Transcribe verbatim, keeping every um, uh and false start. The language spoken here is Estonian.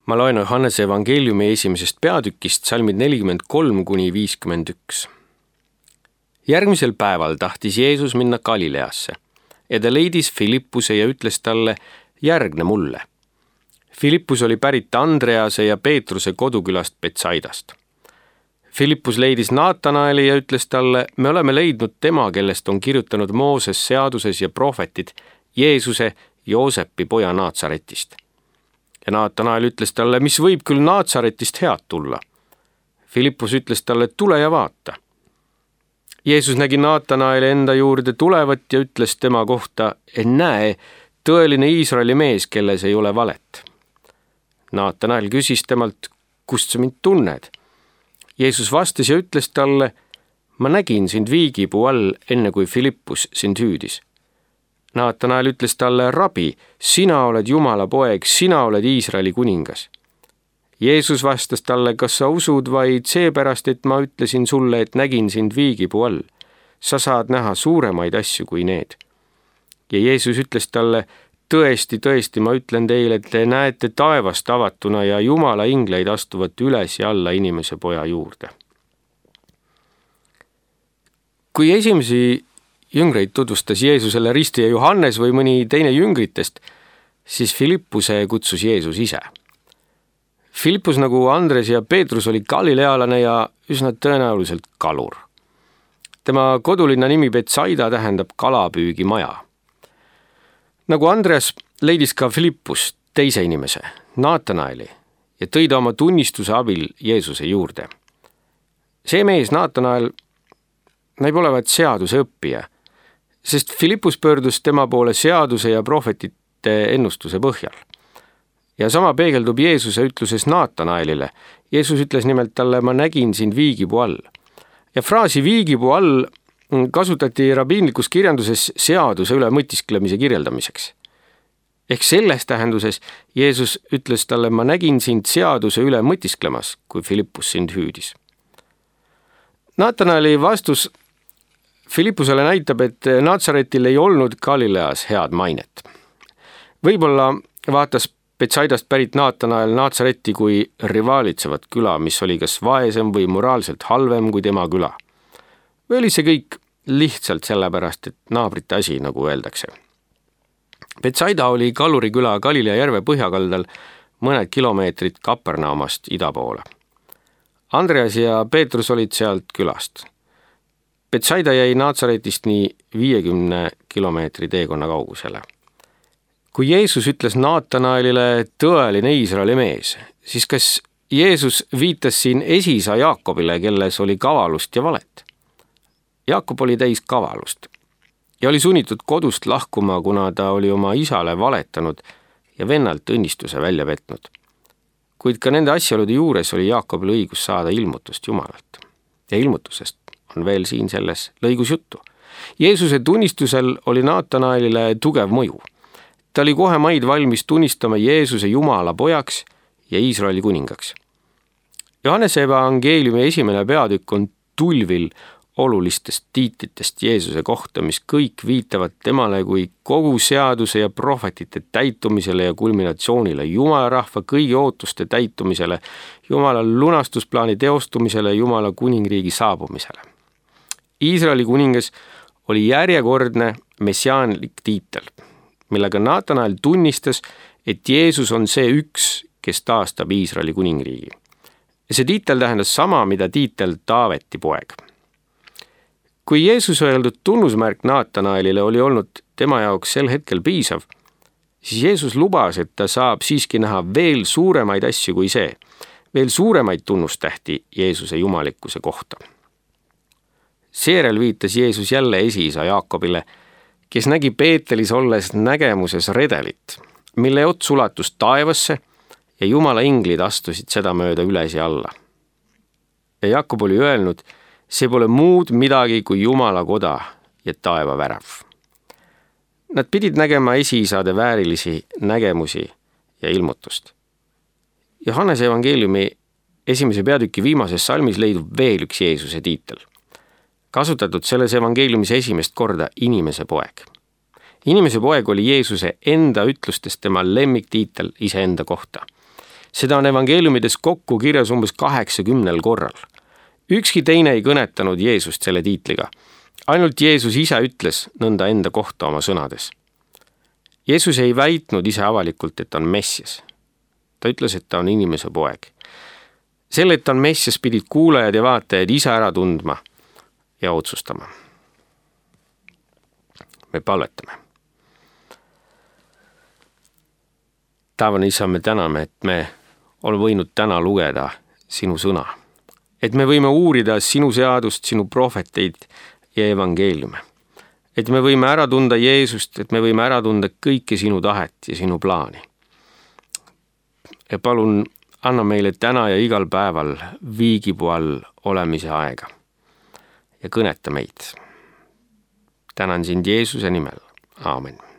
Ma loen Johannese evangeeliumi esimesest peatükist salmid nelikümmend kolm kuni viiskümmend üks. Järgmisel päeval tahtis Jeesus minna Galileasse ja ta leidis Filippuse ja ütles talle, järgne mulle. Filippus oli pärit Andrease ja Peetruse kodukülast Betsaidast. Filippus leidis Naatanaeli ja ütles talle, me oleme leidnud tema, kellest on kirjutanud Mooses seaduses ja prohvetid, Jeesuse, Joosepi poja Naatsaretist. Ja Naatanael ütles talle, mis võib küll Naatsaretist head tulla. Filippus ütles talle, tule ja vaata. Jeesus nägi Naatanaeli enda juurde tulevat ja ütles tema kohta, näe, tõeline Iisraeli mees, kelles ei ole valet. Naatanael küsis temalt, kust sa mind tunned? Jeesus vastas ja ütles talle, ma nägin sind viigipuu all, enne kui Filippus sind hüüdis. Naatanael ütles talle, rabi, sina oled Jumala poeg, sina oled Iisraeli kuningas. Jeesus vastas talle, kas sa usud vaid seepärast, et ma ütlesin sulle, et nägin sind viigipuu all. Sa saad näha suuremaid asju kui need. Ja Jeesus ütles talle, tõesti, tõesti, ma ütlen teile, et te näete taevast avatuna ja Jumala ingleid astuvat üles ja alla inimese poja juurde. Kui esimesi jüngreid tutvustas Jeesusele ristija Johannes või mõni teine jüngritest, siis Filippuse kutsus Jeesus ise. Filippus nagu Andres ja Peetrus oli galilealane ja üsna tõenäoliselt kalur. Tema kodulinna nimi Betsaida tähendab kalapüügimaja. Nagu Andreas leidis ka Filippus teise inimese, Naatanaeli, ja tõi ta oma tunnistuse abil Jeesuse juurde. See mees, Naatanael, näib olevat seaduse õppija, sest Filippus pöördus tema poole seaduse ja prohvetite ennustuse põhjal. Ja sama peegeldub Jeesuse ütluses Naatanaelile. Jeesus ütles nimelt talle, ma nägin sind viigipuu all. Ja fraasi viigipuu all kasutati rabiinlikus kirjanduses seaduse üle mõtisklemise kirjeldamiseks. Ehk selles tähenduses Jeesus ütles talle, ma nägin sind seaduse üle mõtisklemas, kui Filippus sind hüüdis. Naatanaeli vastus Filippusele näitab, et Naatsaretil ei olnud Galileas head mainet. Võib-olla vaatas Betsaidast pärit Naatanael Naatsaretti kui rivaalitsevat küla, mis oli kas vaesem või moraalselt halvem kui tema küla. Või oli see kõik lihtsalt sellepärast, et naabrite asi, nagu öeldakse. Betsaida oli kaluriküla Galilea järve põhjakaldal mõned kilomeetrid Kapernaumast ida poole. Andreas ja Peetrus olid sealt külast. Betsaida jäi Naatsaretist nii viiekümne kilomeetri teekonna kaugusele. Kui Jeesus ütles Naatanaelile tõeline Iisraeli mees, siis kas Jeesus viitas siin esisa Jaakobile, kelles oli kavalust ja valet? Jaakob oli täis kavalust ja oli sunnitud kodust lahkuma, kuna ta oli oma isale valetanud ja vennalt õnnistuse välja petnud. Kuid ka nende asjaolude juures oli Jaakobil õigus saada ilmutust Jumalalt. Ja ilmutusest on veel siin selles lõigus juttu. Jeesuse tunnistusel oli Naatanaelile tugev mõju. Ta oli kohe maid valmis tunnistama Jeesuse Jumala pojaks ja Iisraeli kuningaks. Johannese evangeeliumi esimene peatükk on tulvil olulistest tiitlitest Jeesuse kohta, mis kõik viitavad temale kui kogu seaduse ja prohvetite täitumisele ja kulminatsioonile, Jumala rahva kõigi ootuste täitumisele, Jumala lunastusplaani teostumisele, Jumala kuningriigi saabumisele. Iisraeli kuningas oli järjekordne messiaanlik tiitel, millega Naatanael tunnistas, et Jeesus on see üks, kes taastab Iisraeli kuningriigi. See tiitel tähendas sama, mida tiitel Taaveti poeg. Kui Jeesus öeldud tunnusmärk Naatanaelile oli olnud tema jaoks sel hetkel piisav, siis Jeesus lubas, et ta saab siiski näha veel suuremaid asju kui see, veel suuremaid tunnustähti Jeesuse jumalikkuse kohta. Seejärel viitas Jeesus jälle esiisa Jaakobile, kes nägi Peetelis olles nägemuses redelit, mille ots ulatus taevasse ja Jumala inglid astusid seda mööda üles ja alla. Ja Jaakob oli öelnud, see pole muud midagi kui Jumala koda ja taeva värav. Nad pidid nägema esiisade väärilisi nägemusi ja ilmutust. Johannese evangeeliumi esimese peatüki viimases salmis leidub veel üks Jeesuse tiitel. Kasutatud selles evangeeliumis esimest korda inimese poeg. Inimese poeg oli Jeesuse enda ütlustest tema lemmiktiitel iseenda kohta. seda on evangeeliumides kokku kirjas umbes kaheksakümnel korral. Ükski teine ei kõnetanud Jeesust selle tiitliga. Ainult Jeesus ise ütles nõnda enda kohta oma sõnades. Jeesus ei väitnud ise avalikult, et ta on Messias. Ta ütles, et ta on inimese poeg. Selle, et ta on Messias, pidid kuulajad ja vaatajad ise ära tundma ja otsustama. Me palvetame. Taevane Isa, me täname, et me oleme võinud täna lugeda sinu sõna. Et me võime uurida sinu seadust, sinu prohveteid ja evangeeliume. Et me võime ära tunda Jeesust, et me võime ära tunda kõike sinu tahet ja sinu plaani. Ja palun anna meile täna ja igal päeval viigipuu all olemise aega ja kõneta meid. Tänan sind Jeesuse nimel. Aamen.